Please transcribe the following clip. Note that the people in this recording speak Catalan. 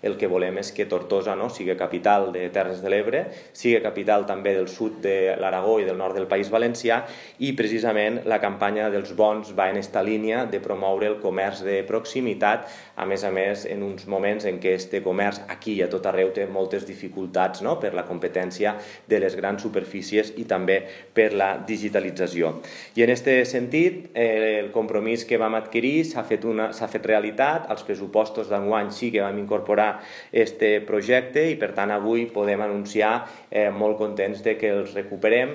El que volem és que Tortosa sigui capital de Terres de l'Ebre, sigui capital també del sud de l'Aragó i del nord del País Valencià, i precisament la campanya dels bons va en esta línia de promoure el comerç de proximitat, a més en uns moments en què este comerç aquí i a tot arreu té moltes dificultats per la competència de les grans superfícies i també per la digitalització. I en aquest sentit, el compromís que vam adquirir s'ha fet realitat. Als pressupostos d'enguany sí que vam incorporar este projecte i per tant avui podem anunciar molt contents de que els recuperem